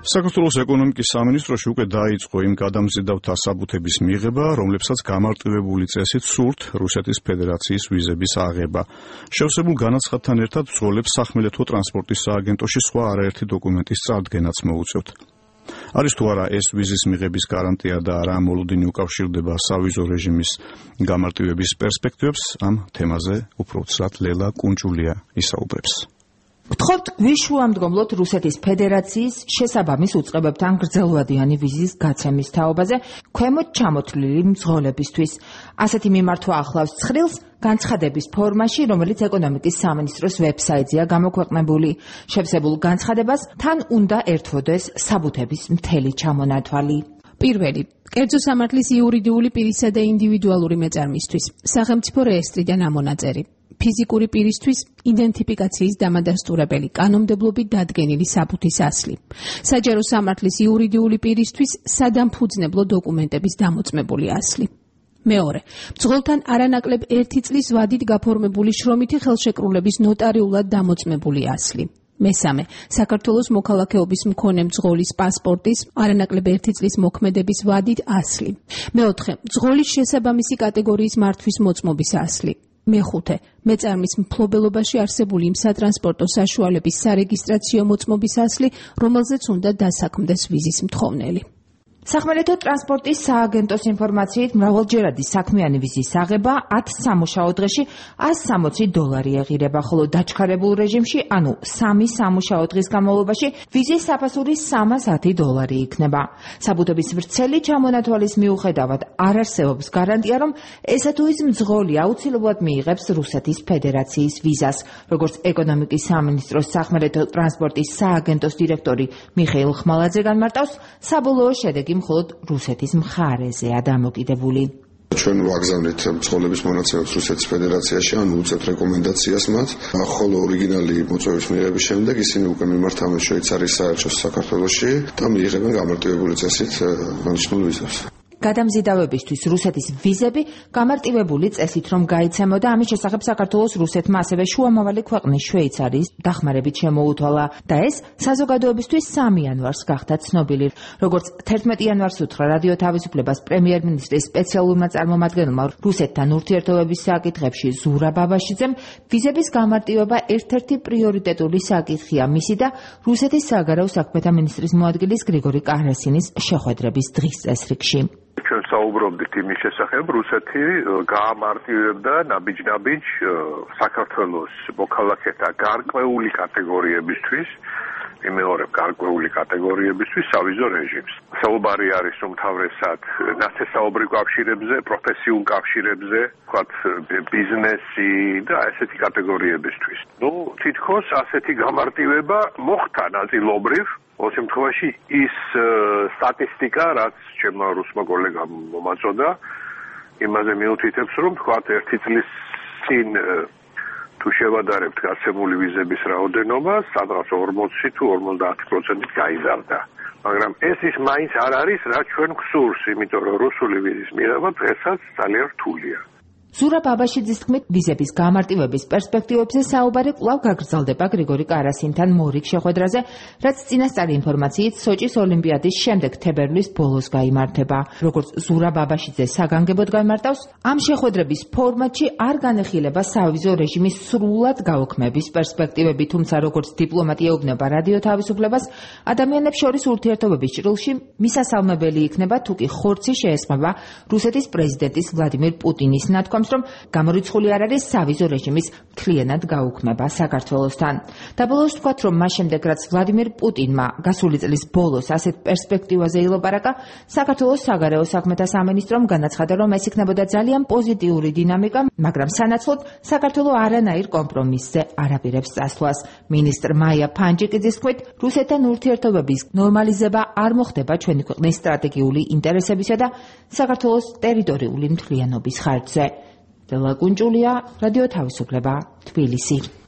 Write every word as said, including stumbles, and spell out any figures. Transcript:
საქართველოს ეკონომიკის სამინისტროში უკვე დაიწყო იმ გადამზიდავთა საბუთების მიღება, რომლებსაც გამარტივებული წესით სურთ რუსეთის ფედერაციის ვიზების აღება. შევსებულ განაცხადთან ერთად ბრძოლებს სახმელეთო ტრანსპორტის სააგენტოში სხვა არაერთი დოკუმენტის წარდგენაც მოუწევთ. არის თუ არა ეს ვიზის მიღების გარანტია და რა მოლოდინი უკავშირდება სავიზო რეჟიმის გამარტივების პერსპექტივებს, ამ თემაზე უფრო ცრად ლელა კუნჭულია ისაუბრებს. ვთხოვთ გვიშუამდგომლოთ რუსეთის ფედერაციის შესაბამის უწყებებთან გრძელვადიანი ვიზის გაცემის თაობაზე ქვემოთ ჩამოთვლილი მძღოლებისთვის. ასეთი მიმართვა ახლავს ცხრილს განცხადების ფორმაში, რომელიც ეკონომიკის სამინისტროს ვებსაიტზეა გამოქვეყნებული. შევსებულ განცხადებას თან უნდა ერთვოდეს საბუთების მთელი ჩამონათვალი. პირველი, კერძო სამართლის იურიდიული პირისა და ინდივიდუალური მეწარმისთვის, სახელმწიფო რეესტრიდან ამონაწერი. ფიზიკური პირისთვის იდენტიფიკაციის დამადასტურებელი, კანონმდებლობით დადგენილი საბუთის ასლი. საჯარო სამართლის იურიდიული პირისთვის სადამფუძნებლო დოკუმენტების დამოწმებული ასლი. მეორე, მძღოლთან არანაკლებ ერთი წლის ვადით გაფორმებული შრომითი ხელშეკრულების ნოტარიულად დამოწმებული ასლი. მესამე, საქართველოს მოქალაქეობის მქონე მძღოლის პასპორტის არანაკლებ ერთი წლის მოქმედების ვადით ასლი. მეოთხე, მძღოლის შესაბამისი კატეგორიის მართვის მოწმობის ასლი. მეხუთე, მეწარმის მფლობელობაში არსებული იმ სატრანსპორტო საშუალების სარეგისტრაციო მოწმობის ასლი, რომელზეც უნდა დასაქმდეს ვიზის მთხოვნელი. სახმელეთო ტრანსპორტის სააგენტოს ინფორმაციით მრავალჯერადი საქმიანი ვიზის აღება ათ სამუშაო დღეში ას სამოცი დოლარი ეღირება, ხოლო დაჩქარებულ რეჟიმში, ანუ სამი სამუშაო დღის განმავლობაში ვიზის საფასური სამას ათი დოლარი იქნება. საბუთების ვრცელი ჩამონათვალის მიუხედავად არ არსებობს გარანტია, რომ ესა თუ ის მძღოლი აუცილებლად მიიღებს რუსეთის ფედერაციის ვიზას. როგორც ეკონომიკის სამინისტროს სახმელეთო ტრანსპორტის სააგენტოს დირექტორი მიხეილ ხმალაძე განმარტავს, საბოლოო შედეგი მხოლოდ რუსეთის მხარეზეა დამოკიდებული. ჩვენ ვაგზავნით მძღოლების მონაცემებს რუსეთის ფედერაციაში, ანუ უწევთ რეკომენდაციას მათ, ხოლო ორიგინალი მოწვევის მიღების შემდეგ ისინი უკვე მიმართავენ შვეიცარიის საელჩოს საქართველოში და მიიღებენ გამარტივებული წესით დანიშნულ ვიზას. გადამზიდავებისთვის რუსეთის ვიზები გამარტივებული წესით რომ გაიცემოდა, ამის შესახებ საქართველოს რუსეთმა ასევე შუამავალი ქვეყნის შვეიცარიის დახმარებით შემოუთვალა და ეს საზოგადოებისთვის სამი იანვარს გახდა ცნობილი. როგორც თერთმეტი იანვარს უთხრა რადიო თავისუფლებას პრემიერ-მინისტრის სპეციალურმა წარმომადგენელმა რუსეთთან ურთიერთობების საკითხებში ზურა ბაბაშიძემ, ვიზების გამარტივება ერთ-ერთი პრიორიტეტული საკითხია მისი და რუსეთის საგარეო საქმეთა მინისტრის მოადგილის გრიგორი კარასინის შეხვედრების დღის წესრიგში. ჩვენ საუბრობდით იმის შესახებ, რუსეთი გაამარტივებდა ნაბიჯ-ნაბიჯ საქართველოს მოქალაქეთა გარკვეული კატეგორიებისთვის, იმეორებ გარკვეული კატეგორიებისთვის სავიზო რეჟიმს. საუბარი არის უმთავრესად ნაცესაობრივ კავშირებზე, პროფესიულ კავშირებზე, ვთქვათ ბიზნესი და ესეთი კატეგორიებისთვის. ნუ თითქოს ასეთი გამარტივება მოხდა ნაწილობრივ. ორ შემთხვევაში ის სტატისტიკა, რაც ჩემმა რუსმა კოლეგამ მომაწოდა, იმაზე მიუთითებს, რომ თქვათ ერთი წლის წინ თუ შევადარებთ გაცემული ვიზების რაოდენობას, სადღაც ორმოცი თუ ორმოცდაათი პროცენტით გაიზარდა. მაგრამ ეს ის მაინც არ არის, რაც ჩვენ გვსურს, იმიტომ რომ რუსული ვიზის მიღება დღესაც ძალიან რთულია. ზურა ბაბაშიძის თქმით, ვიზების გამარტივების პერსპექტივებზე საუბარი კვლავ გაგრძელდება გრიგორი კარასინთან მორიგ შეხვედრაზე, რაც წინასწარი ინფორმაციით სოჭის ოლიმპიადის შემდეგ თებერვლის ბოლოს გაიმართება. როგორც ზურა ბაბაშიძე საგანგებოდ განმარტავს, ამ შეხვედრების ფორმატში არ განეხილება სავიზო რეჟიმის სრულად გაუქმების პერსპექტივები, თუმცა როგორც დიპლომატი ეუბნება რადიო თავისუფლებას, ადამიანებს შორის ურთიერთობების ჭრილში მისასალმებელი იქნება, თუ კი ხორცი შეესწმება რუსეთის პრეზიდენტის ვლადიმირ პუტინის ნათქვამს, რომ გამორიცხული არ არის სავიზო რეჟიმის მთლიანად გაუქმება საქართველოსთან. დაბოლოოს ვთქვათ, რომ მას შემდეგ, რაც ვლადიმირ პუტინმა გასული წლის ბოლოს ასეთ პერსპექტივაზე ილაპარაკა, საქართველოს საგარეო საქმეთა სამინისტრომ განაცხადა, რომ ეს იქნებოდა ძალიან პოზიტიური დინამიკა, მაგრამ სანაცვლოდ საქართველო არანაირ კომპრომისზე არ აპირებს წასვლას. მინისტრ მაია ფანჯიკიძის თქმით, რუსეთთან ურთიერთობების ნორმალიზება არ მოხდება ჩვენი ქვეყნის სტრატეგიული ინტერესებისა და საქართველოს ტერიტორიული მთლიანობის ხარჯზე. ლელა კუნჭულია, რადიო თავისუფლება, თბილისი.